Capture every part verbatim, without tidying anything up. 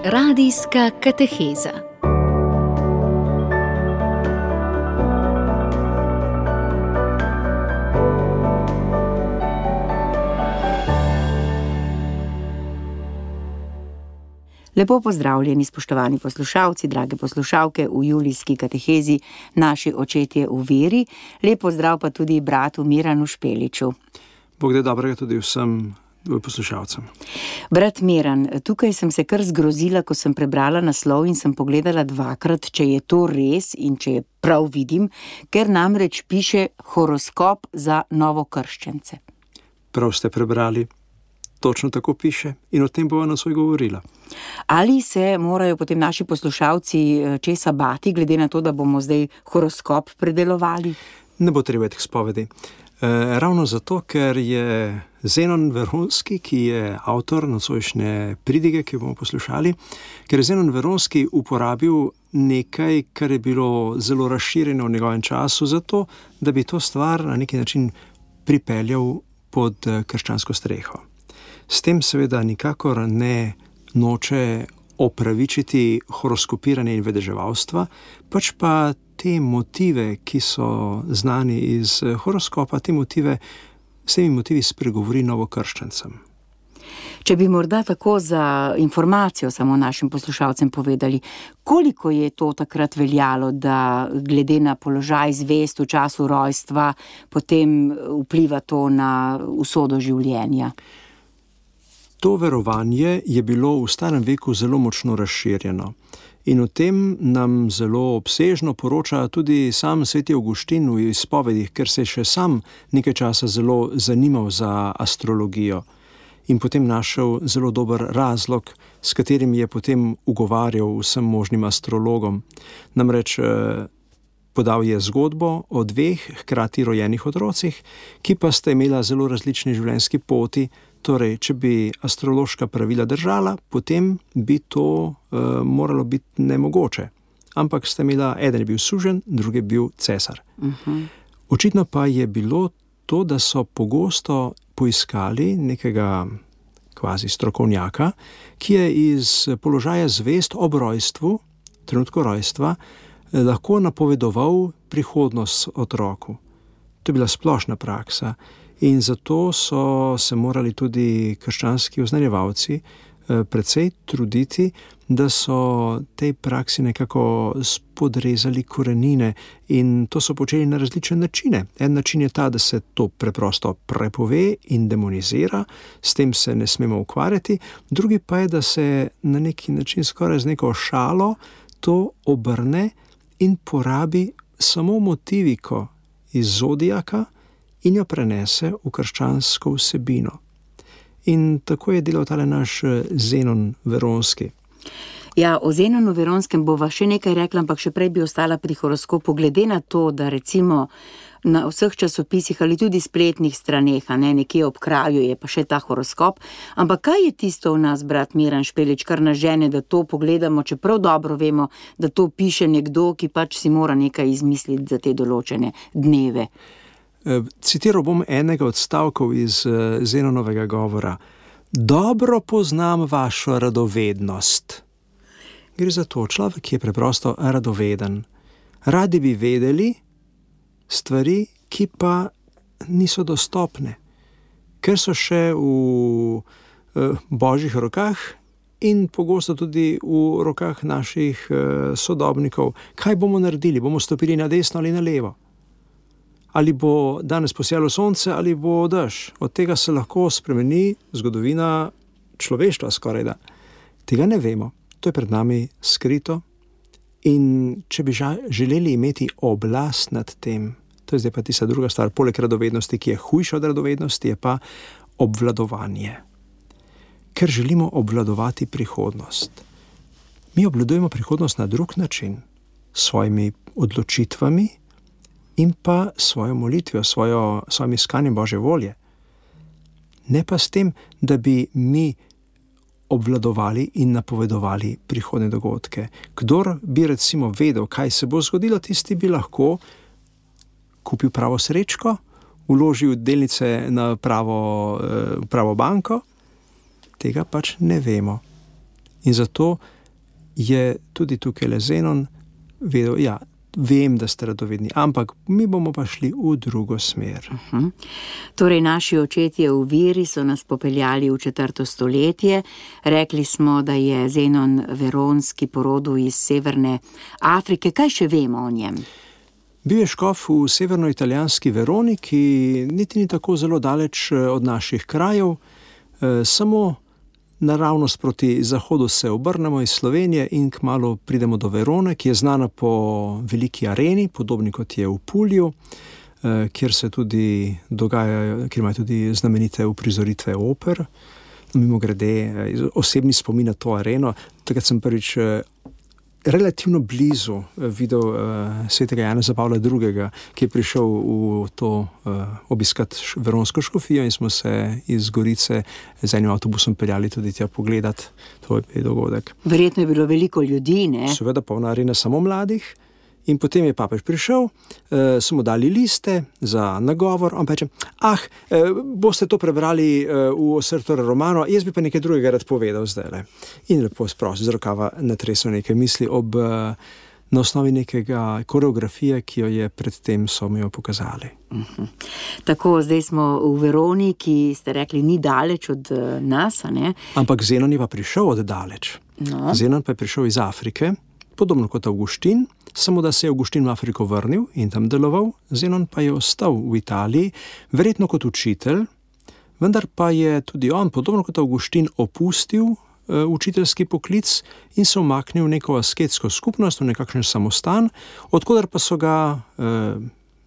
Radijska kateheza. Lepo pozdravljeni, spoštovani poslušalci, drage poslušalke v julijski katehezi Naši očetje v veri. Lep pozdrav pa tudi bratu Miranu Špeliču. Bog da dobrega tudi vsem poslušalcem. Brat Miran, tukaj sem se kar zgrozila, ko sem prebrala naslov in sem pogledala dvakrat, če je to res in če je prav vidim, ker namreč piše horoskop za novokrščence. Prav ste prebrali. Točno tako piše in o tem bova nocoj govorila. Ali se morajo potem naši poslušalci česa bati, glede na to, da bomo zdaj horoskop predelovali? Ne bo treba teh spovedi. E, ravno zato, ker je Zenon Veronski, ki je avtor nocojšnje pridige, ki jo bomo poslušali, ker je Zenon Veronski uporabil nekaj, kar je bilo zelo razširjeno v njegovem času, zato, da bi to stvar na neki način pripeljal pod krščansko streho. S tem seveda nikakor ne noče opravičiti horoskopiranja in vedeževalstva, pač pa te motive, ki so znani iz horoskopa, te motive, s temi motivi spregovori novokrščancem. Če bi morda tako za informacijo samo našim poslušalcem povedali, koliko je to takrat veljalo, da glede na položaj zvest v času rojstva potem vpliva to na usodo življenja? To verovanje je bilo v starem veku zelo močno razširjeno in o tem nam zelo obsežno poroča tudi sam sveti Avguštin v izpovedih, ker se je še sam nekaj časa zelo zanimal za astrologijo in potem našel zelo dober razlog, s katerim je potem ugovarjal vsem možnim astrologom. Namreč podal je zgodbo o dveh hkrati rojenih otrocih, ki pa sta imela zelo različni življenjski poti. Torej, če bi astrološka pravila držala, potem bi to uh, moralo biti nemogoče. Ampak sta imela, eden je bil suženj, drugi je bil cesar. Uh-huh. Očitno pa je bilo to, da so pogosto poiskali nekega kvazi strokovnjaka, ki je iz položaja zvest ob rojstvu, trenutku rojstva, lahko napovedoval prihodnost otroku. To je bila splošna praksa. In zato so se morali tudi krščanski oznanjevalci precej truditi, da so tej praksi nekako spodrezali korenine in to so počeli na različne načine. En način je ta, da se to preprosto prepove in demonizira, s tem se ne smemo ukvarjati, drugi pa je, da se na neki način skoraj z neko šalo to obrne in porabi samo motiviko iz zodijaka in jo prenese v krščansko vsebino. In tako je delal tale naš Zenon Veronski. Ja, o Zenonu Veronskem bova še nekaj rekla, ampak še prej bi ostala pri horoskopu, glede na to, da recimo na vseh časopisih ali tudi spletnih straneh, a ne, nekje ob kraju je pa še ta horoskop, ampak kaj je tisto v nas, brat Miran Špelič, kar nas žene, da to pogledamo, čeprav dobro vemo, da to piše nekdo, ki pač si mora nekaj izmisliti za te določene dneve? Citiral bom enega od stavkov iz Zenonovega govora. Dobro poznam vašo radovednost. Gre za to, človek je preprosto radoveden. Radi bi vedeli stvari, ki pa niso dostopne, ker so še v božjih rokah in pogosto tudi v rokah naših sodobnikov. Kaj bomo naredili? Bomo stopili na desno ali na levo? Ali bo danes posijalo sonce, ali bo dež. Od tega se lahko spremeni zgodovina človeštva skorajda. Tega ne vemo. To je pred nami skrito. In če bi želeli imeti oblast nad tem, to je zdaj pa tista druga stvar, poleg radovednosti, ki je hujša od radovednosti, je pa obvladovanje. Ker želimo obvladovati prihodnost. Mi obvladujemo prihodnost na drug način, s svojimi odločitvami, in pa svojo molitvijo, svojo, svojim iskanjem Božje volje. Ne pa s tem, da bi mi obvladovali in napovedovali prihodne dogodke. Kdor bi recimo vedel, kaj se bo zgodilo, tisti bi lahko kupil pravo srečko, vložil delnice na pravo, pravo banko, tega pač ne vemo. In zato je tudi tukaj le Zenon vedel, ja, vem, da ste radovedni, ampak mi bomo pa šli v drugo smer. Uh-huh. Torej, naši očetje v veri so nas popeljali v četrto stoletje. Rekli smo, da je Zenon Veronski porodil iz severne Afrike. Kaj še vemo o njem? Bil je škof v severnoitalijanski Veroni, ki niti ni tako zelo daleč od naših krajev, samo naravnost proti zahodu se obrnemo iz Slovenije in kmalu pridemo do Verone, ki je znana po veliki areni, podobni kot je v Pulju, kjer se tudi dogajajo, kjer imajo tudi znamenite uprizoritve oper. Mimogrede, osebni spomin na to areno, takrat sem prvič relativno blizu videl uh, svetega Janeza Pavla drugega, ki je prišel v to uh, obiskat veronsko škofijo in smo se iz Gorice z enim avtobusom peljali tudi tja pogledat. To je dogodek. Verjetno je bilo veliko ljudi, ne? Seveda polna arena samo mladih. In potem je papež prišel, uh, so mu dali liste za nagovor, on pa reče, ah, uh, boste to prebrali uh, v Ossertore Romano, jaz bi pa nekaj drugega rad povedal zdajle. In lepo sprosil z rokava natresel nekaj misli ob, uh, na osnovi nekega koreografije, ki jo je predtem so mi jo pokazali. Uh-huh. Tako, zdaj smo v Veroni, ki ste rekli, ni daleč od uh, nas, a ne? Ampak Zenon je pa prišel od daleč. No. Zenon pa je prišel iz Afrike, podobno kot Avguštin, samo da se je Avguštin v Afriko vrnil in tam deloval, Zenon pa je ostal v Italiji, verjetno kot učitelj, vendar pa je tudi on, podobno kot Avguštin, opustil uh, učiteljski poklic in se umaknil v neko asketsko skupnost, v nekakšen samostan, odkudar pa so ga uh,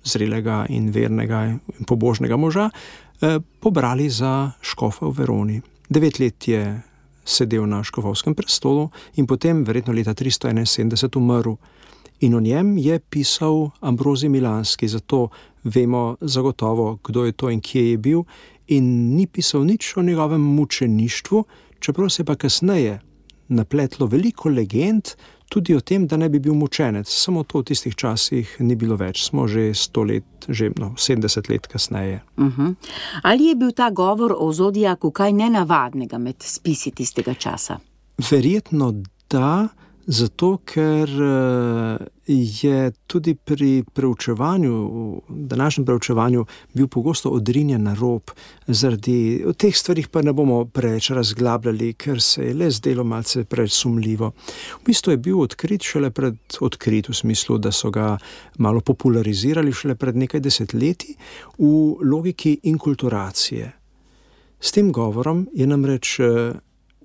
zrelega in vernega in pobožnega moža uh, pobrali za škofa v Veroni. Devet let je sedel na škofovskem prestolu in potem verjetno leta tristo enainsedemdeset umrl. In o njem je pisal Ambrozij Milanski, zato vemo zagotovo, kdo je to in kje je bil, in ni pisal nič o njegovem mučeništvu, čeprav se pa kasneje napletlo veliko legend tudi o tem, da ne bi bil mučenec. Samo to v tistih časih ni bilo več. Smo že sto let, že no, sedemdeset let kasneje. Uh-huh. Ali je bil ta govor o zodijaku kaj nenavadnega med spisi tistega časa? Verjetno da, zato ker je tudi pri preučevanju, današnjem preučevanju, bil pogosto odrinjen na rob. Zaradi teh stvarih pa ne bomo preveč razglabljali, ker se je le zdelo malce preveč sumljivo. V bistvu je bil odkrit šele pred, odkrit v smislu, da so ga malo popularizirali šele pred nekaj desetletji v logiki inkulturacije. S tem govorom je namreč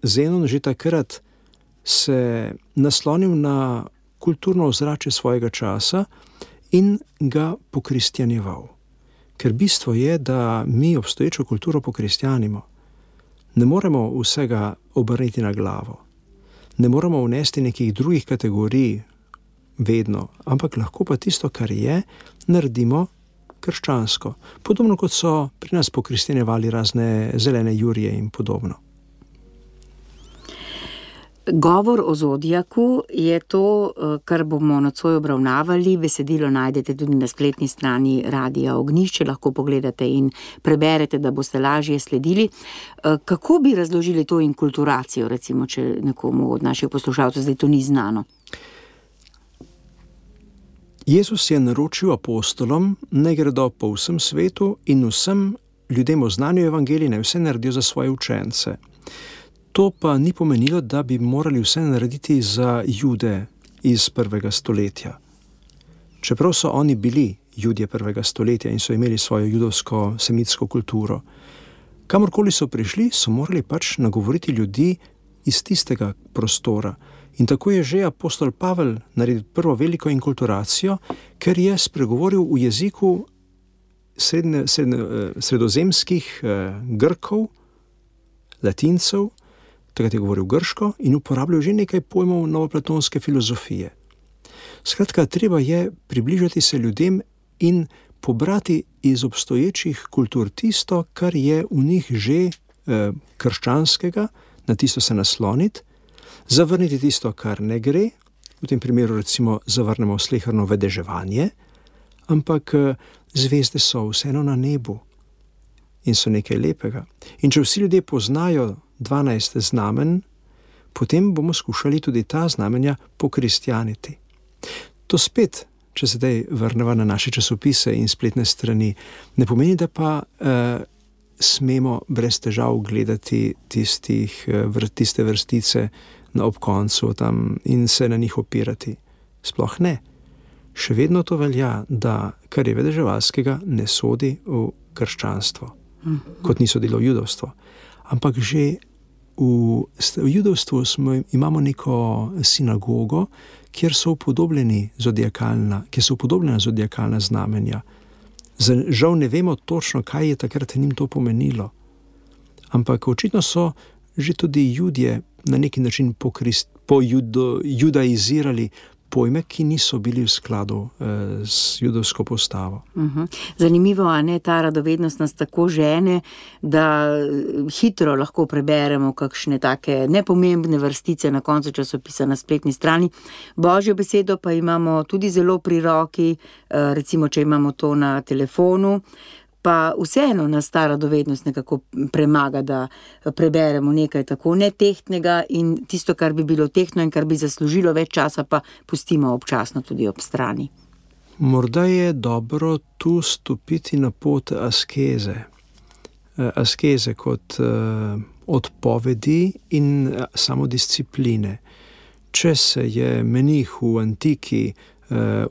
Zenon že takrat se naslonil na kulturno ozračje svojega časa in ga pokristjanjeval. Ker bistvo je, da mi obstoječo kulturo pokristjanimo. Ne moremo vsega obrniti na glavo. Ne moremo vnesti nekih drugih kategorij vedno, ampak lahko pa tisto, kar je, naredimo krščansko. Podobno kot so pri nas pokristjanjevali razne zelene jurije in podobno. Govor o zodijaku je to, kar bomo nocoj obravnavali. Besedilo najdete tudi na spletni strani Radia Ognjišče, lahko pogledate in preberete, da boste lažje sledili. Kako bi razložili to inkulturacijo, recimo, če nekomu od naših poslušalcev zdaj to ni znano? Jezus je naročil apostolom, naj gredo po vsem svetu in vsem ljudem oznanjajo evangelij, naj vse naredijo za svoje učence. To pa ni pomenilo, da bi morali vse narediti za Jude iz prvega stoletja. Čeprav so oni bili Judje prvega stoletja in so imeli svojo judovsko semitsko kulturo. Kamorkoli so prišli, so morali pač nagovoriti ljudi iz tistega prostora. In tako je že apostol Pavel naredil prvo veliko inkulturacijo, ker je spregovoril v jeziku srednje, srednje, sredozemskih eh, Grkov, Latincev, takrat je govoril grško in uporabljal že nekaj pojmov novoplatonske filozofije. Skratka, treba je približati se ljudem in pobrati iz obstoječih kultur tisto, kar je v njih že eh, krščanskega, na tisto se nasloniti, zavrniti tisto, kar ne gre, v tem primeru recimo zavrnemo sleherno vedeževanje, ampak eh, zvezde so vseeno na nebu in so nekaj lepega. In če vsi ljudje poznajo dvanajst znamen, potem bomo skušali tudi ta znamenja pokristjaniti. To spet, če se zdaj vrneva na naše časopise in spletne strani, ne pomeni, da pa eh, smemo brez težav gledati tistih, vr, tiste vrstice na ob koncu tam in se na njih opirati. Sploh ne. Še vedno to velja, da kar je vedeževalskega, ne sodi v krščanstvo, mm-hmm. kot ni sodilo v judovstvo. Ampak že v, v judovstvu smo, imamo neko sinagogo, kjer so upodobljeni zodiakalna, kjer so upodobljena zodiakalna znamenja. Žal ne vemo točno, kaj je takrat njim to pomenilo. Ampak očitno so že tudi Judje na neki način pokrist, pojudaizirali pojme, ki niso bili v skladu eh, s judovsko postavo. Uh-huh. Zanimivo, a ne, ta radovednost nas tako žene, da hitro lahko preberemo kakšne take nepomembne vrstice na koncu časopisa na spletni strani. Božjo besedo pa imamo tudi zelo pri roki, eh, recimo, če imamo to na telefonu, pa vseeno nas ta radovednost nekako premaga, da preberemo nekaj tako netehtnega in tisto, kar bi bilo tehtno in kar bi zaslužilo več časa, pa pustimo občasno tudi ob strani. Morda je dobro tu stopiti na pot askeze. Askeze kot uh, odpovedi in samodiscipline. Če se je menih v antiki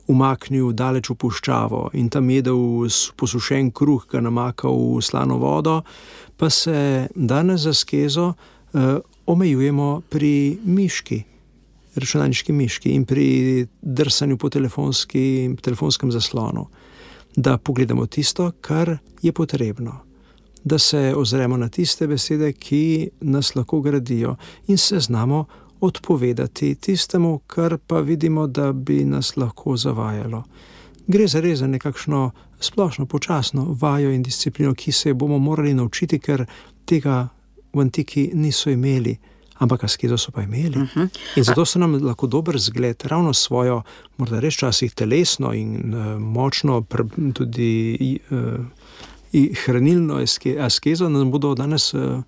umaknil daleč v puščavo in tam jedel posušen kruh, ga namakal v slano vodo, pa se danes za askezo uh, omejujemo pri miški, računalniški miški in pri drsanju po telefonskem zaslonu, da pogledamo tisto, kar je potrebno, da se ozremo na tiste besede, ki nas lahko gradijo in se znamo odpovedati tistemu, kar pa vidimo, da bi nas lahko zavajalo. Gre za res za nekakšno splošno, počasno vajo in disciplino, ki se bomo morali naučiti, ker tega v antiki niso imeli, ampak askezo so pa imeli. Uh-huh. In zato so nam lahko dober zgled, ravno svojo, morda res časih telesno in uh, močno pr- tudi uh, hranilno aske- askezo, nam bodo danes uh,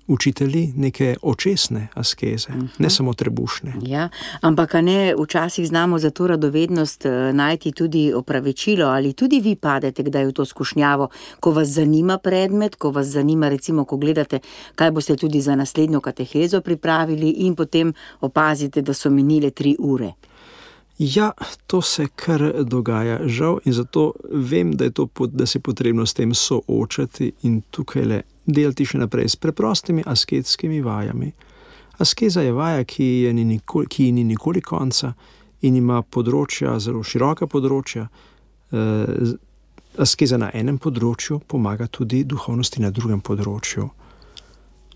učitelji neke očesne askeze, uh-huh. ne samo trebušne. Ja, ampak a ne, včasih znamo za to radovednost najti tudi opravičilo, ali tudi vi padete kdaj v to skušnjavo, ko vas zanima predmet, ko vas zanima recimo, ko gledate, kaj boste tudi za naslednjo katehezo pripravili in potem opazite, da so minile tri ure. Ja, to se kar dogaja, žal, in zato vem, da je to, da se je potrebno s tem soočati in tukaj le delati še naprej s preprostimi asketskimi vajami. Askeza je vaja, ki je ni nikoli, ki ni nikoli konca in ima področja, zelo široka področja. E, askeza na enem področju pomaga tudi duhovnosti na drugem področju.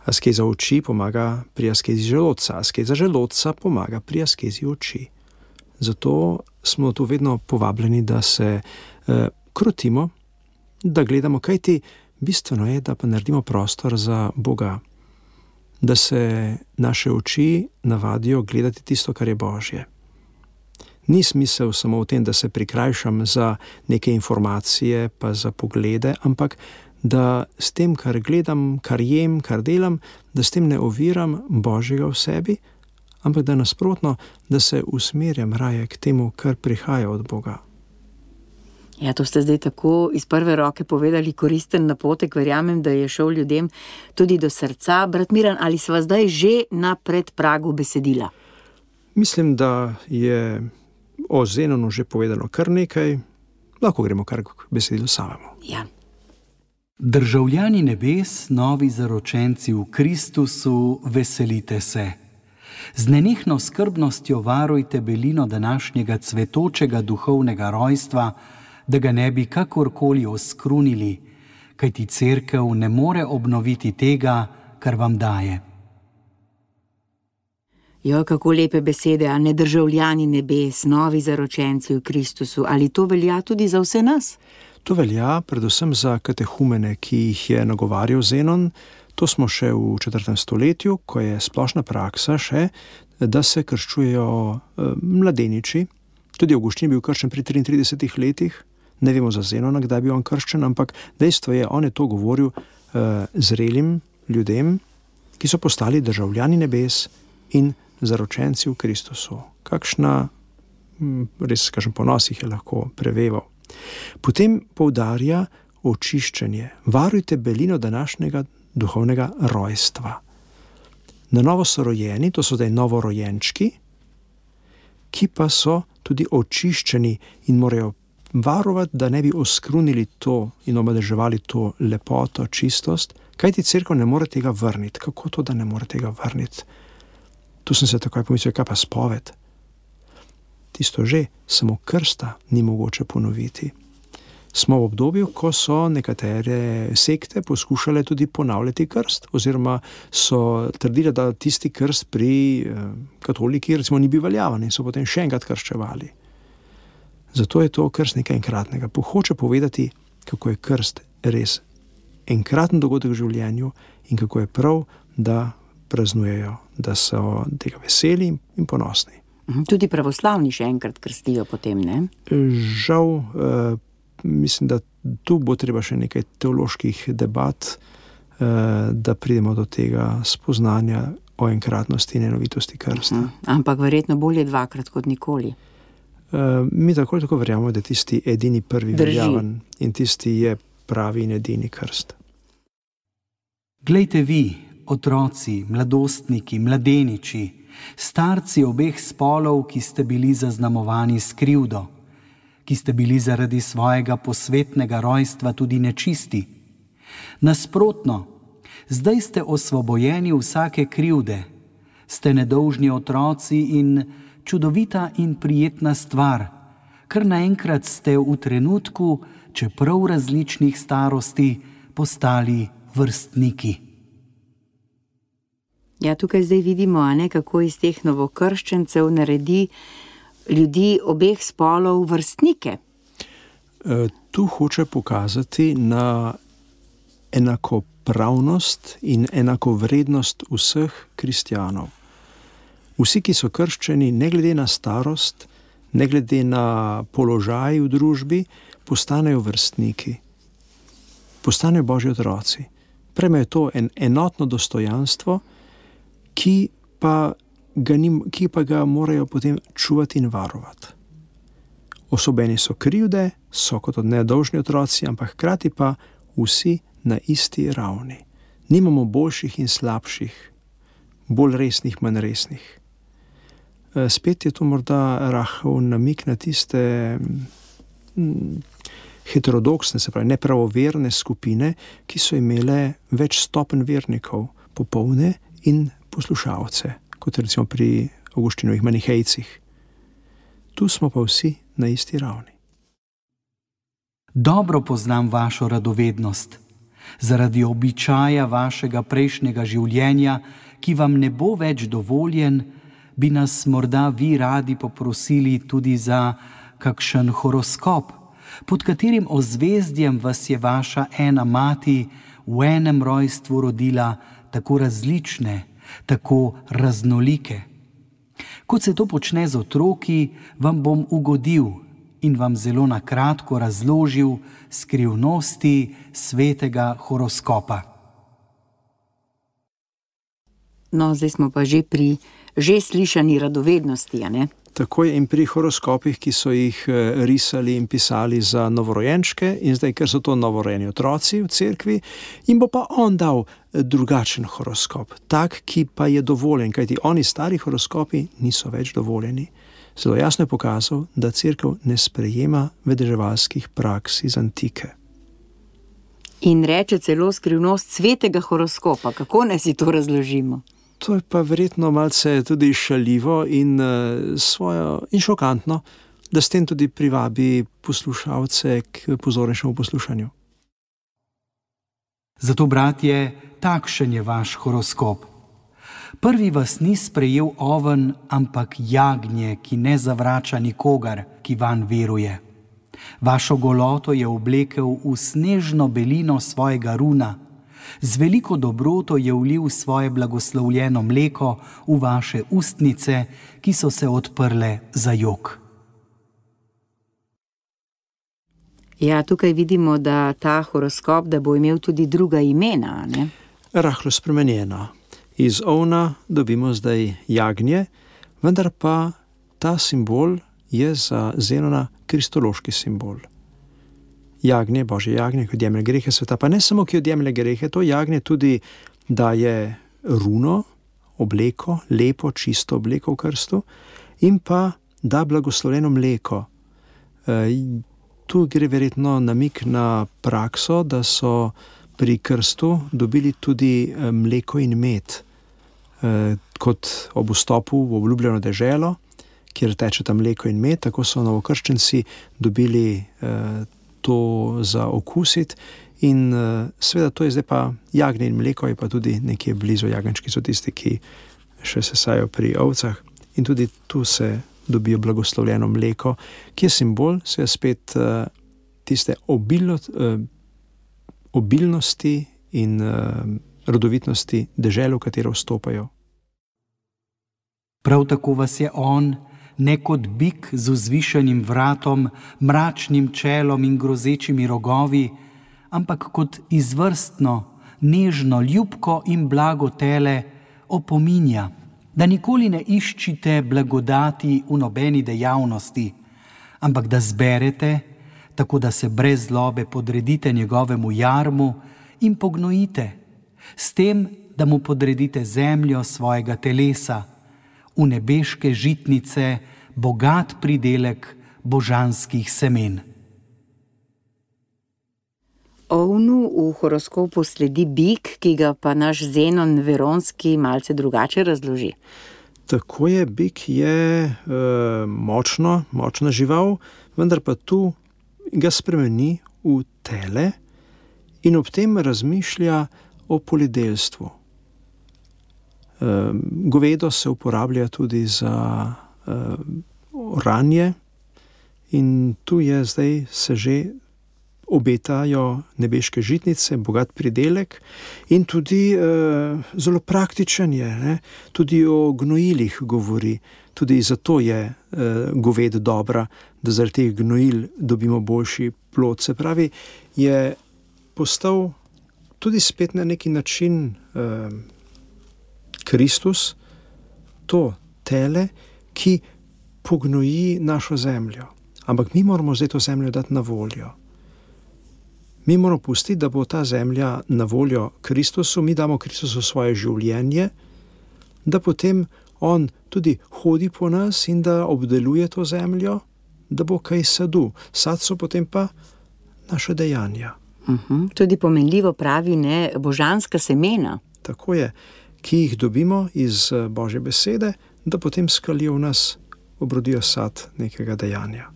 Askeza oči pomaga pri askezi želodca, askeza želodca pomaga pri askezi oči. Zato smo tu vedno povabljeni, da se eh, krotimo, da gledamo, kaj ti bistveno je, da pa naredimo prostor za Boga, da se naše oči navadijo gledati tisto, kar je Božje. Ni smisel samo v tem, da se prikrajšam za neke informacije, pa za poglede, ampak da s tem, kar gledam, kar jem, kar delam, da s tem ne oviram Božjega v sebi, ampak da nasprotno, da se usmerjam raje k temu, kar prihaja od Boga. Ja, to ste zdaj tako iz prve roke povedali koristen napotek, verjamem, da je šel ljudem tudi do srca. Brat Miran, ali sva zdaj že na predpragu besedila? Mislim, da je o Zenonu že povedano kar nekaj, lahko gremo kar k besedilu samemu. Ja. Državljani nebes, novi zaročenci v Kristusu, veselite se. Z nenehno skrbnostjo varujte belino današnjega cvetočega duhovnega rojstva, da ga ne bi kakorkoli oskrunili, kajti cerkev ne more obnoviti tega, kar vam daje. Jo, kako lepe besede, a ne državljani nebes, novi zaročenci v Kristusu. Ali to velja tudi za vse nas? To velja predvsem za katehumene, ki jih je nagovarjal Zenon. To smo še v četrtem stoletju, ko je splošna praksa še, da se krščujejo e, mladeniči. Tudi Avguštin je bil krščen pri triintridesetih letih. Ne vemo za Zenona, kdaj je bil on krščen, ampak dejstvo je, on je to govoril e, zrelim ljudem, ki so postali državljani nebes in zaročenci v Kristusu. Kakšna, res kažem, ponos jih je lahko preveval. Potem poudarja očiščenje. Varujte belino današnjega duhovnega rojstva. Na novo so rojeni, to so zdaj novorojenčki, ki pa so tudi očiščeni in morajo varovati, da ne bi oskrunili to in omadeževali to lepoto, čistost, kajti cerkev ne more tega vrniti. Kako to, da ne more tega vrniti? Tu sem se takoj pomislil, kaj pa spoved? Tisto že, samo krsta ni mogoče ponoviti. Smo v obdobju, ko so nekatere sekte poskušale tudi ponavljati krst, oziroma so trdile, da tisti krst pri eh, katoliki recimo ni bil veljaven in so potem še enkrat krščevali. Zato je to krst nekaj enkratnega. Hoče povedati, kako je krst res enkraten dogodek v življenju in kako je prav, da praznujejo, da so tega veseli in ponosni. Tudi pravoslavni še enkrat krstijo potem, ne? Žal, eh, mislim, da tu bo treba še nekaj teoloških debat, eh, da pridemo do tega spoznanja o enkratnosti in enovitosti krsta. Uh-huh. Ampak verjetno bolje dvakrat kot nikoli. Uh, mi tako ali tako verjamemo, da tisti edini prvi veljaven in tisti je pravi in edini krst. Glejte vi, otroci, mladostniki, mladeniči, starci obeh spolov, ki ste bili zaznamovani s krivdo, ki ste bili zaradi svojega posvetnega rojstva tudi nečisti. Nasprotno, zdaj ste osvobojeni vsake krivde, ste nedolžni otroci in čudovita in prijetna stvar, kar naenkrat ste v trenutku, čeprav različnih starosti, postali vrstniki. Ja, tukaj zdaj vidimo, a ne, kako iz teh novokrščencev naredi ljudi obeh spolov vrstnike. E, tu hoče pokazati na enakopravnost in enakovrednost vseh kristjanov. Vsi, ki so krščeni, ne glede na starost, ne glede na položaj v družbi, postanejo vrstniki, postanejo Božji otroci. Prejmejo to en enotno dostojanstvo, ki pa ga, ni, ki pa ga morajo potem čuvati in varovati. Osobeni so krivde, so kot nedolžni otroci, ampak hkrati pa vsi na isti ravni. Nimamo boljših in slabših, bolj resnih, manj resnih. Spet je to morda rahel namik na tiste heterodoksne, se pravi nepravoverne skupine, ki so imele več stopenj vernikov, popolne in poslušalce, kot recimo pri Avguštinovih manihejcih. Tu smo pa vsi na isti ravni. Dobro poznam vašo radovednost. Zaradi običaja vašega prejšnjega življenja, ki vam ne bo več dovoljen, bi nas morda vi radi poprosili tudi za kakšen horoskop, pod katerim ozvezdjem vas je vaša ena mati v enem rojstvu rodila tako različne, tako raznolike. Kot se to počne z otroki, vam bom ugodil in vam zelo na kratko razložil skrivnosti svetega horoskopa. No, zdaj smo pa že pri že slišani radovednosti, a ne? Tako je in pri horoskopih, ki so jih risali in pisali za novorojenčke in zdaj, ker so to novorojeni otroci v cerkvi, jim bo pa on dal drugačen horoskop, tak, ki pa je dovoljen, kajti oni stari horoskopi niso več dovoljeni. Zelo jasno je pokazal, da cerkev ne sprejema vedeževalskih praks iz antike. In reče celo skrivnost svetega horoskopa. Kako naj si to razložimo? To je pa verjetno malce tudi šaljivo in, uh, svojo, in šokantno, da s tem tudi privabi poslušalce k pozornejšemu poslušanju. Zato, bratje, takšen je vaš horoskop. Prvi vas ni sprejel oven, ampak jagnje, ki ne zavrača nikogar, ki vanj veruje. Vašo goloto je oblekel v snežno belino svojega runa, z veliko dobroto je vlil svoje blagoslovljeno mleko v vaše ustnice, ki so se odprle za jok. Ja, tukaj vidimo, da ta horoskop, da bo imel tudi druga imena, ne? Rahlo spremenjena. Iz ovna dobimo zdaj jagnje, vendar pa ta simbol je za Zenona kristološki simbol. Jagnje, Božje jagnje, ki odjemlje grehe sveta, pa ne samo, ki odjemlje grehe, to jagnje tudi daje runo, obleko, lepo, čisto obleko v krstu in pa da blagoslovljeno mleko. E, tu gre verjetno namik na prakso, da so pri krstu dobili tudi mleko in med, e, kot ob vstopu v obljubljeno deželo, kjer tečeta mleko in med, tako so novokrščenci dobili e, to za okusiti. In uh, seveda to je zdaj pa jagnje in mleko, je pa tudi nekje blizu. Jagenčki so tisti, ki še sesajo pri ovcah, in tudi tu se dobijo blagoslovljeno mleko, ki je simbol, se je spet uh, tiste obilno, uh, obilnosti in uh, rodovitnosti dežele, v katero vstopajo. Prav tako vas je on, ne kot bik z vzvišenim vratom, mračnim čelom in grozečimi rogovi, ampak kot izvrstno, nežno, ljubko in blago tele opominja, da nikoli ne iščite blagodati v nobeni dejavnosti, ampak da zberete, tako da se brez zlobe podredite njegovemu jarmu in pognojite, s tem, da mu podredite zemljo svojega telesa, v nebeške žitnice, bogat pridelek božanskih semen. Ovnu v horoskopu sledi bik, ki ga pa naš Zenon Veronski malce drugače razloži. Tako je, bik je e, močno, močna žival, vendar pa tu ga spremeni v tele in ob tem razmišlja o poljedelstvu. E, govedo se uporablja tudi za e, oranje in tu je zdaj se že obetajo nebeške žitnice, bogat pridelek in tudi e, zelo praktičen je, ne? Tudi o gnojilih govori, tudi zato je e, goved dobra, da zaradi teh gnojil dobimo boljši plod. Se pravi, je postal tudi spet na neki način e, Kristus, to tele, ki pognoji našo zemljo. Ampak mi moramo zdaj to zemljo dati na voljo. Mi moramo pustiti, da bo ta zemlja na voljo Kristusu, mi damo Kristusu svoje življenje, da potem on tudi hodi po nas in da obdeluje to zemljo, da bo kaj sadu. Sad so potem pa naše dejanja. Uh-huh. Tudi pomenljivo pravi, ne, božanska semena. Tako je, ki jih dobimo iz Božje besede, da potem skalijo v nas, obrodijo sad nekega dejanja.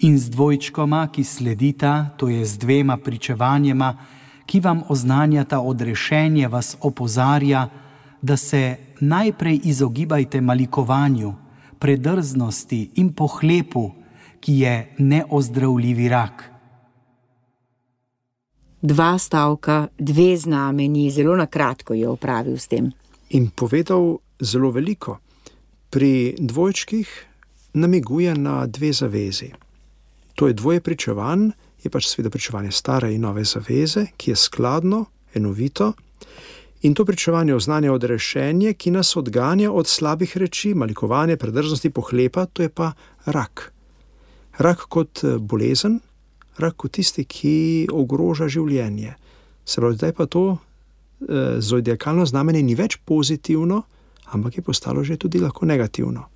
In z dvojčkoma, ki sledita, to je z dvema pričevanjema, ki vam oznanjata odrešenje, vas opozarja, da se najprej izogibajte malikovanju, predrznosti in pohlepu, ki je neozdravljivi rak. Dva stavka, dve znamenji, zelo na kratko je opravil s tem. In povedal zelo veliko. Pri dvojčkih namiguje na dve zavezi. To je dvoje pričevanj, je pač seveda pričevanje stare in nove zaveze, ki je skladno, enovito, in to pričevanje oznanja odrešenje, ki nas odganja od slabih reči, malikovanje, predrznosti, pohlepa, to je pa rak. Rak kot bolezen, rak kot tisti, ki ogroža življenje. Se pravi, zdaj pa to e, zodiakalno znamenje ni več pozitivno, ampak je postalo že tudi lahko negativno.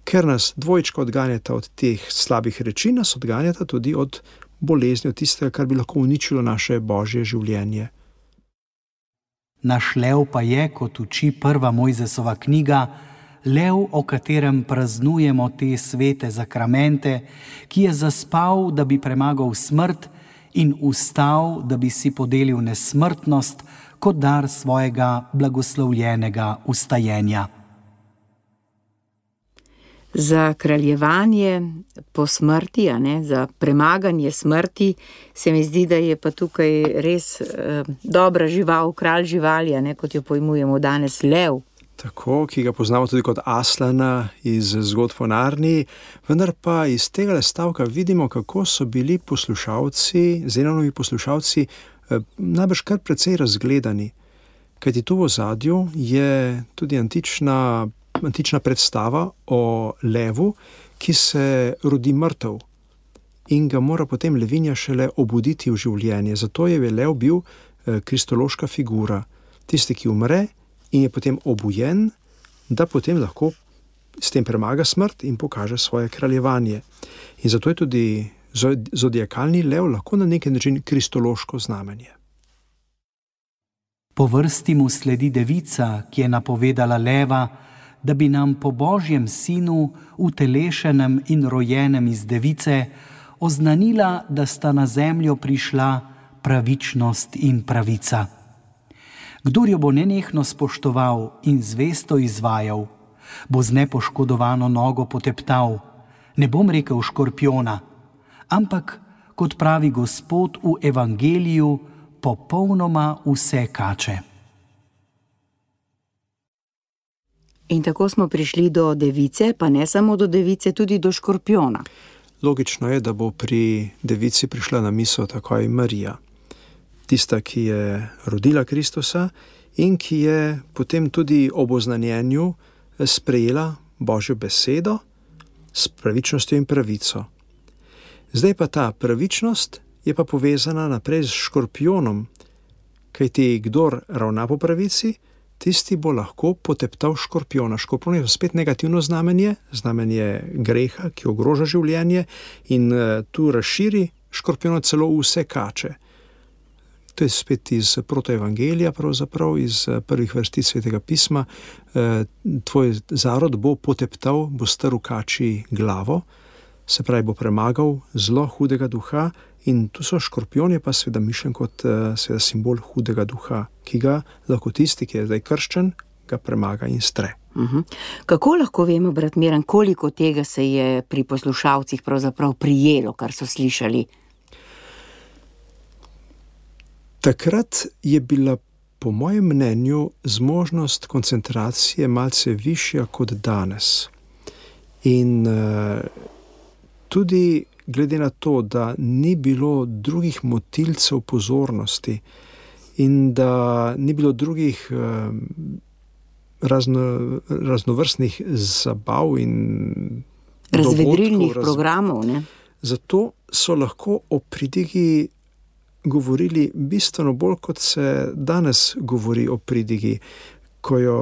Ker nas dvojčka odganjata od teh slabih reči, nas odganjata tudi od bolezni, od tistega, kar bi lahko uničilo naše božje življenje. Naš lev pa je, kot uči prva Mojzesova knjiga, lev, o katerem praznujemo te svete zakramente, ki je zaspal, da bi premagal smrt, in vstal, da bi si podelil nesmrtnost kot dar svojega blagoslovljenega vstajenja. Za kraljevanje po smrti, a ne, za premaganje smrti, se mi zdi, da je pa tukaj res eh, dobra žival, kralj živali, a ne, kot jo pojmujemo danes, lev. Tako, ki ga poznamo tudi kot Aslana iz zgodb o Narniji, vendar pa iz tega stavka vidimo, kako so bili poslušalci, Zenonovi poslušalci, eh, najbrž kar precej razgledani. Kajti tu v ozadju je tudi antična, antična predstava o levu, ki se rodi mrtev in ga mora potem levinja šele obuditi v življenje. Zato je lev bil kristološka figura, tisti, ki umre in je potem obujen, da potem lahko s tem premaga smrt in pokaže svoje kraljevanje. In zato je tudi zodiakalni lev lahko na neki način kristološko znamenje. Po vrsti mu sledi devica, ki je napovedala leva, da bi nam po Božjem sinu, utelešenem in rojenem iz device, oznanila, da sta na zemljo prišla pravičnost in pravica. Kdor jo bo nenehno spoštoval in zvesto izvajal, bo z nepoškodovano nogo poteptal, ne bom rekel škorpijona, ampak, kot pravi Gospod v evangeliju, popolnoma vse kače. In tako smo prišli do device, pa ne samo do device, tudi do škorpijona. Logično je, da bo pri devici prišla na misel takoj Marija, tista, ki je rodila Kristusa in ki je potem tudi ob oznanjenju sprejela Božjo besedo s pravičnostjo in pravico. Zdaj pa ta pravičnost je pa povezana naprej s škorpijonom, kajti kdor ravna po pravici, tisti bo lahko poteptal škorpijona. Škorpijon je spet negativno znamenje, znamenje greha, ki ogroža življenje in tu razširi škorpijona celo vse kače. To je spet iz protoevangelija, pravzaprav iz prvih vrstic Svetega pisma. Tvoj zarod bo poteptal, bo strl kači glavo, se pravi, bo premagal zlo hudega duha in tu so škorpijoni pa seveda mišljen kot seveda simbol hudega duha, ki ga lahko tisti, ki je zdaj krščen, ga premaga in stre. Uh-huh. Kako lahko vemo, brat Miran, koliko tega se je pri poslušalcih pravzaprav prijelo, kar so slišali? Takrat je bila po mojem mnenju zmožnost koncentracije malce višja kot danes. In uh, tudi glede na to, da ni bilo drugih motilcev pozornosti in da ni bilo drugih uh, razno, raznovrstnih zabav in razvedrilnih raz... programov, ne? Zato so lahko o pridigi govorili bistveno bolj, kot se danes govori o pridigi, ko jo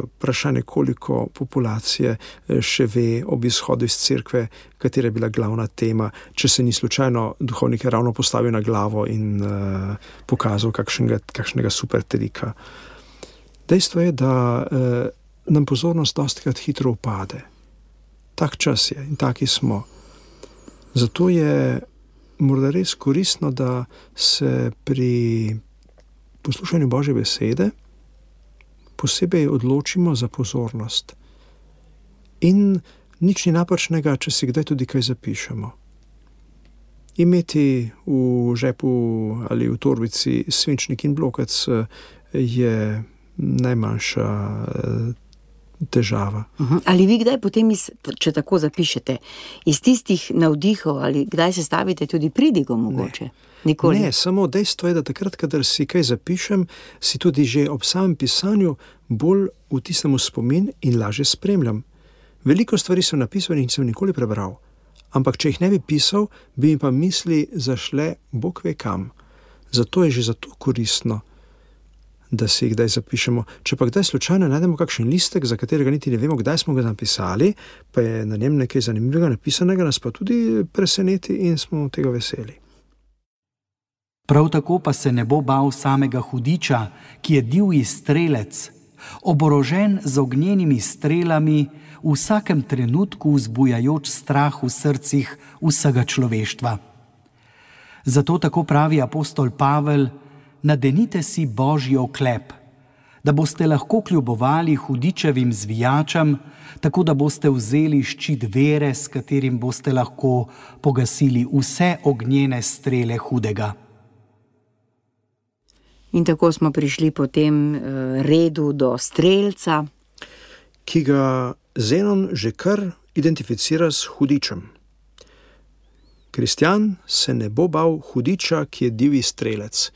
vprašanje, koliko populacije še ve ob izhodu iz cerkve, katera je bila glavna tema, če se ni slučajno duhovnik ravno postavil na glavo in uh, pokazal kakšnega, kakšnega super trika. Dejstvo je, da uh, nam pozornost dostikrat hitro upade. Tak čas je in taki smo. Zato je morda res koristno, da se pri poslušanju Božje besede posebej odločimo za pozornost. In nič ni napačnega, če si kdaj tudi kaj zapišemo. Imeti v žepu ali v torbici svinčnik in blokec je najmanjša težava. Uh-huh. Ali vi kdaj potem, iz, če tako zapišete, iz tistih navdihov ali kdaj se stavite tudi pridigo mogoče? Ne. Nikoli. Ne, samo dejstvo je, da takrat, kadar si kaj zapišem, si tudi že ob samem pisanju bolj vtisnem v spomin in lažje spremljam. Veliko stvari sem napisal in nisem nikoli prebral, ampak če jih ne bi pisal, bi mi pa misli zašle Bog ve kam. Zato je že zato koristno, da si jih kdaj zapišemo. Če pa kdaj slučajno najdemo kakšen listek, za katerega niti ne vemo, kdaj smo ga napisali, pa je na njem nekaj zanimivega napisanega, nas pa tudi preseneti in smo tega veseli. Prav tako pa se ne bo bal samega hudiča, ki je divji strelec, oborožen z ognjenimi strelami, v vsakem trenutku vzbujajoč strah v srcih vsega človeštva. Zato tako pravi apostol Pavel: nadenite si Božji oklep, da boste lahko kljubovali hudičevim zvijačam, tako da boste vzeli ščit vere, s katerim boste lahko pogasili vse ognjene strele hudega. In tako smo prišli po tem redu do strelca, ki ga Zenon že kar identificira s hudičem. Kristjan se ne bo bal hudiča, ki je divji strelec.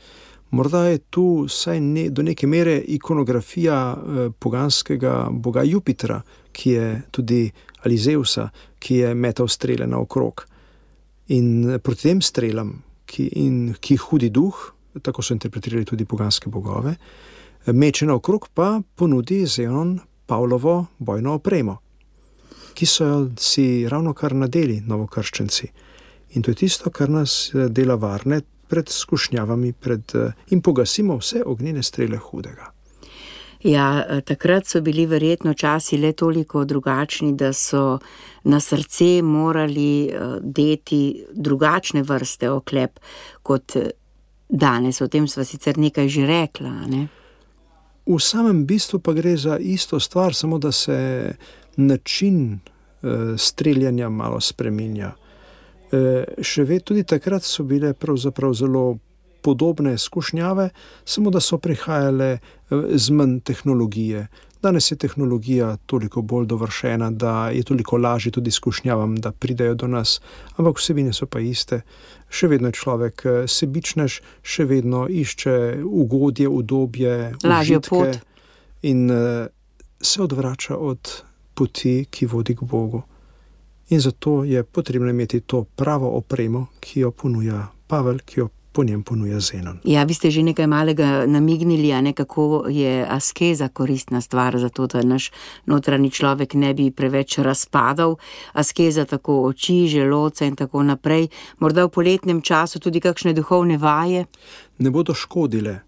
Morda je tu vsaj ne, do neke mere ikonografija eh, poganskega boga Jupitra, ki je tudi ali Zeusa, ki je metal strele naokrog. In proti tem strelam, ki, in, ki hudi duh, tako so interpretirali tudi poganske bogove, meče naokrog pa ponudi Zenon Pavlovo bojno opremo, ki so si ravno kar nadeli novokrščenci. In to je tisto, kar nas dela varne pred skušnjavami pred, in pogasimo vse ognjene strele hudega. Ja, takrat so bili verjetno časi le toliko drugačni, da so na srce morali deti drugačne vrste oklep kot danes. O tem sva sicer nekaj že rekla, ne? V samem bistvu pa gre za isto stvar, samo da se način uh, streljanja malo spreminja. Uh, še vedno tudi takrat so bile pravzaprav zelo podobne skušnjave, samo da so prihajale z manj tehnologije. Danes je tehnologija toliko bolj dovršena, da je toliko lažje tudi skušnjavam, da pridejo do nas, ampak vsebine so pa iste. Še vedno je človek sebičnež, še vedno išče ugodje, udobje, užitke in se odvrača od poti, ki vodi k Bogu. In zato je potrebno imeti to pravo opremo, ki jo ponuja Pavel, ki jo po njem ponuja Zenon. Ja, vi ste že nekaj malega namignili, a ne, kako je askeza koristna stvar, zato da naš notranji človek ne bi preveč razpadal. Askeza tako oči, želodca in tako naprej. Morda v poletnem času tudi kakšne duhovne vaje? Ne bodo škodile.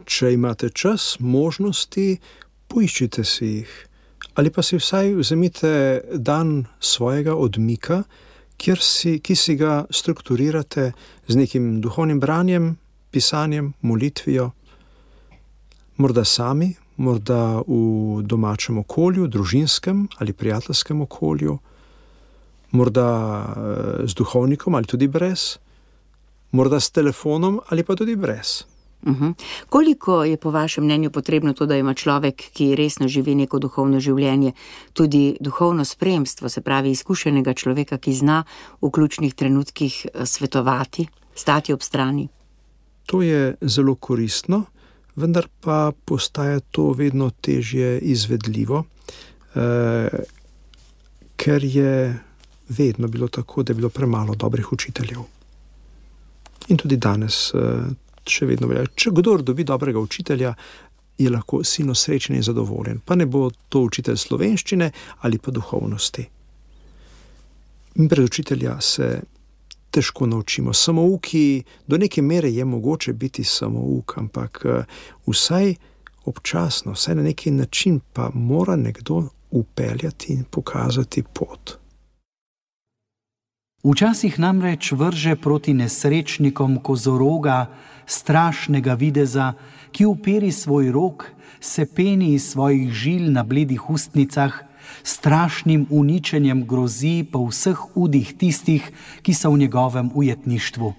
Če imate čas, možnosti, poiščite si jih. Ali pa si vsaj vzemite dan svojega odmika, kjer si, ki si ga strukturirate z nekim duhovnim branjem, pisanjem, molitvijo, morda sami, morda v domačem okolju, družinskem ali prijateljskem okolju, morda z duhovnikom ali tudi brez, morda s telefonom ali pa tudi brez. Uhum. Koliko je po vašem mnenju potrebno to, da ima človek, ki resno živi neko duhovno življenje, tudi duhovno spremstvo, se pravi izkušenega človeka, ki zna v ključnih trenutkih svetovati, stati ob strani? To je zelo koristno, vendar pa postaja to vedno težje izvedljivo, eh, ker je vedno bilo tako, da je bilo premalo dobrih učiteljev. In tudi danes eh, še vedno velja. Če kdor dobi dobrega učitelja, je lahko silno srečen in zadovoljen. Pa ne bo to učitelj slovenščine ali pa duhovnosti. In brez učitelja se težko naučimo. Samouki, do neke mere je mogoče biti samouk, ampak vsaj občasno, vsaj na neki način pa mora nekdo upeljati in pokazati pot. Včasih namreč vrže proti nesrečnikom kozoroga, strašnega videza, ki uperi svoj rok, se peni iz svojih žil na bledih ustnicah, strašnim uničenjem grozi po vseh udih tistih, ki so v njegovem ujetništvu.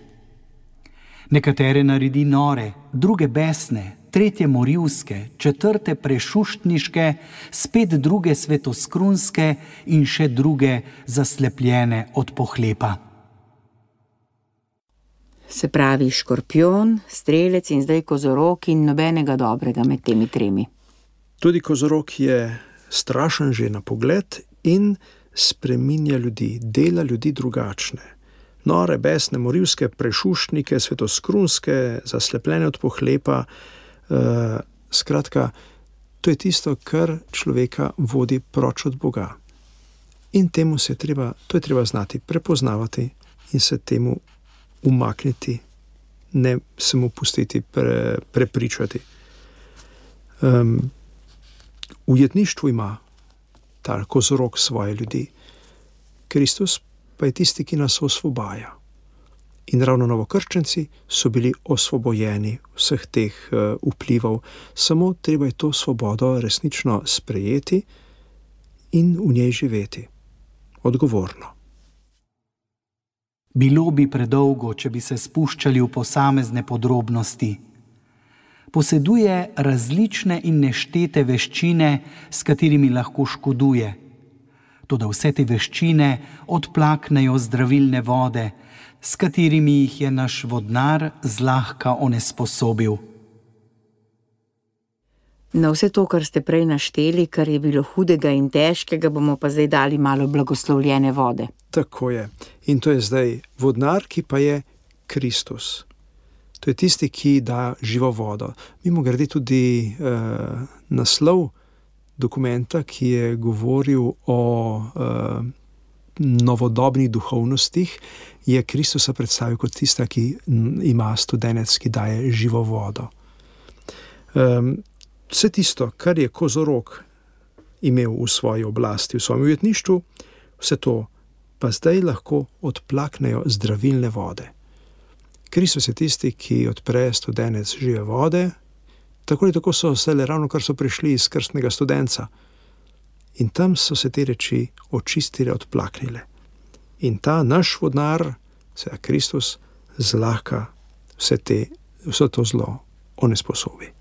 Nekatere naredi nore, druge besne, tretje morilske, četrte prešuštniške, spet druge svetoskrunske in še druge zaslepljene od pohlepa. Se pravi škorpion, strelec in zdaj kozorog in nobenega dobrega med temi tremi. Tudi kozorog je strašen že na pogled in spreminja ljudi, dela ljudi drugačne. Nore, besne, morilske, prešuštnike, svetoskrunske, zaslepljene od pohlepa. Uh, skratka, to je tisto, kar človeka vodi proč od Boga. In temu se je treba, to je treba znati prepoznavati in se temu umakniti, ne se mu pustiti pre, prepričati. Um, v ujetništvu ima ta kozorog svoje ljudi. Kristus pa je tisti, ki nas osvobaja. In ravno novokrščenci so bili osvobojeni vseh teh uh, vplivov. Samo treba je to svobodo resnično sprejeti in v njej živeti. Odgovorno. Bilo bi predolgo, če bi se spuščali v posamezne podrobnosti. Poseduje različne in neštete veščine, s katerimi lahko škoduje. Toda vse te veščine odplaknejo zdravilne vode, s katerimi jih je naš vodnar zlahka onesposobil. Na vse to, kar ste prej našteli, kar je bilo hudega in težkega, bomo pa zdaj dali malo blagoslovljene vode. Tako je. In to je zdaj vodnar, ki pa je Kristus. To je tisti, ki da živo vodo. Mimogrede tudi eh, naslov dokumenta, ki je govoril o eh, novodobnih duhovnostih, je Kristusa predstavil kot tista, ki ima studenec, ki daje živo vodo. Um, vse tisto, kar je kozorog imel v svoji oblasti, v svojem ujetništvu, vse to pa zdaj lahko odplaknejo zdravilne vode. Kristus je tisti, ki odpre studenec žive vode, tako ali tako so vse le ravno, kar so prišli iz krstnega studenca. In tam so se te reči očistile, odplaknile. In ta naš vodnar, seveda Kristus, zlahka vse, te, vse to zlo onesposobi.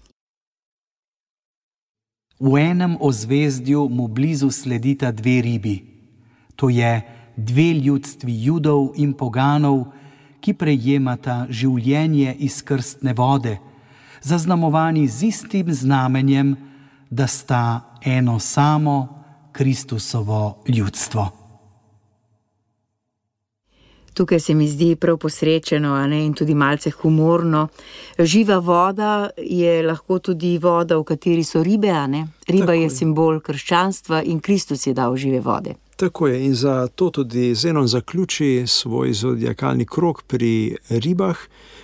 V enem ozvezdju mu blizu sledita dve ribi. To je dve ljudstvi Judov in poganov, ki prejemata življenje iz krstne vode, zaznamovani z istim znamenjem, da sta eno samo Kristusovo ljudstvo. Tukaj se mi zdi prav posrečeno, a ne, in tudi malce humorno. Živa voda je lahko tudi voda, v kateri so ribe, a ne? Riba je, je simbol krščanstva in Kristus je dal žive vode. Tako je, in zato tudi Zenon zaključi svoj zodiakalni krog pri ribah,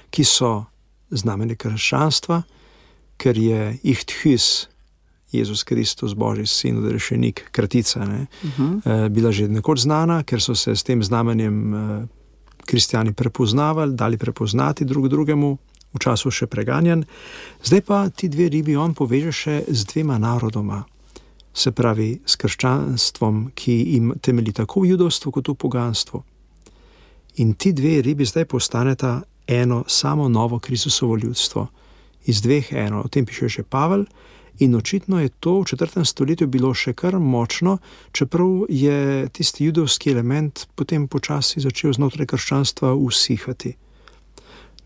ki so znamenje krščanstva, ker je ihthys, Jezus Kristus, Božji sin, odrešenik, kratica, ne, uh-huh. bila že nekoč znana, ker so se s tem znamenjem kristjani prepoznavali, dali prepoznati drug drugemu, v času še preganjan. Zdaj pa ti dve ribi on poveže še z dvema narodoma, se pravi s krščanstvom, ki jim temelji tako v judovstvu kot v poganstvu. In ti dve ribi zdaj postaneta eno samo novo Kristusovo ljudstvo. Iz dveh eno, o tem piše še Pavel, in očitno je to v četrtem stoletju bilo še kar močno, čeprav je tisti judovski element potem počasi začel znotraj krščanstva usihati.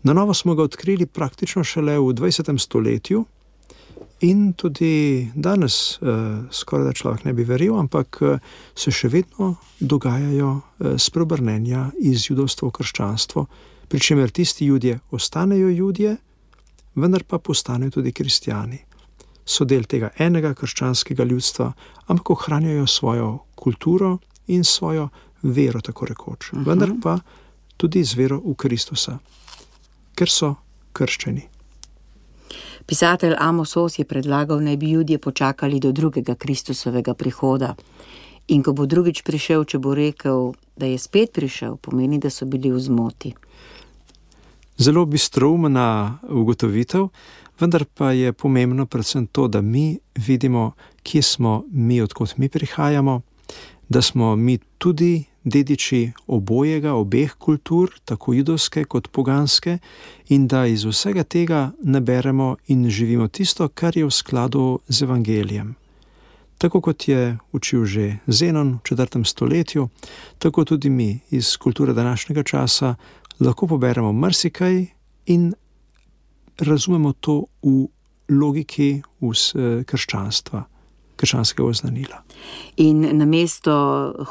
Na novo smo ga odkrili praktično šele v dvajsetem stoletju in tudi danes eh, skoraj da človek ne bi verjel, ampak eh, se še vedno dogajajo eh, spreobrnenja iz judovstva v krščanstvo, pri čemer tisti Judje ostanejo Judje, vendar pa postanejo tudi kristjani. So del tega enega krščanskega ljudstva, ampak ohranjajo svojo kulturo in svojo vero, tako rekoč. Uh-huh. Vendar pa tudi z vero v Kristusa, ker so krščeni. Pisatelj Amos Oz je predlagal, naj bi Judje počakali do drugega Kristusovega prihoda. In ko bo drugič prišel, če bo rekel, da je spet prišel, pomeni, da so bili v zmoti. Zelo bistroumna ugotovitev, vendar pa je pomembno predvsem to, da mi vidimo, kje smo mi, odkot mi prihajamo, da smo mi tudi dediči obojega, obeh kultur, tako judovske kot poganske, in da iz vsega tega naberemo in živimo tisto, kar je v skladu z evangelijem. Tako kot je učil že Zenon v četrtem stoletju, tako tudi mi iz kulture današnjega časa lahko poberemo marsikaj in razumemo to v logiki krščanstva, krščanskega oznanila. In namesto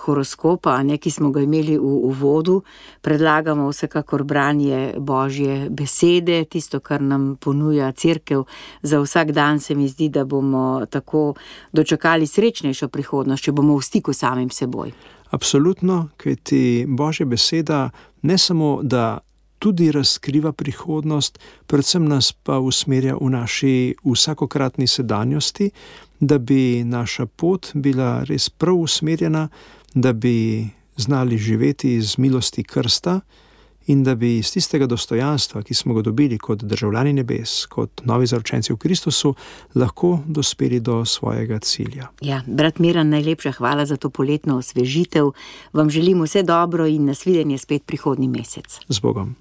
horoskopa, ne, ki smo ga imeli v uvodu, predlagamo vsekakor branje Božje besede, tisto, kar nam ponuja cerkev za vsak dan. Se mi zdi, da bomo tako dočakali srečnejšo prihodnost, če bomo v stiku samim seboj. Absolutno, kajti Božja beseda ne samo, da tudi razkriva prihodnost, predvsem nas pa usmerja v naši vsakokratni sedanjosti, da bi naša pot bila res prav usmerjena, da bi znali živeti iz milosti krsta in da bi iz tistega dostojanstva, ki smo ga dobili kot državljani nebes, kot novi zaročenci v Kristusu, lahko dospeli do svojega cilja. Ja, brat Miran, najlepša hvala za to poletno osvežitev. Vam želim vse dobro in nasvidenje spet prihodnji mesec. Z Bogom.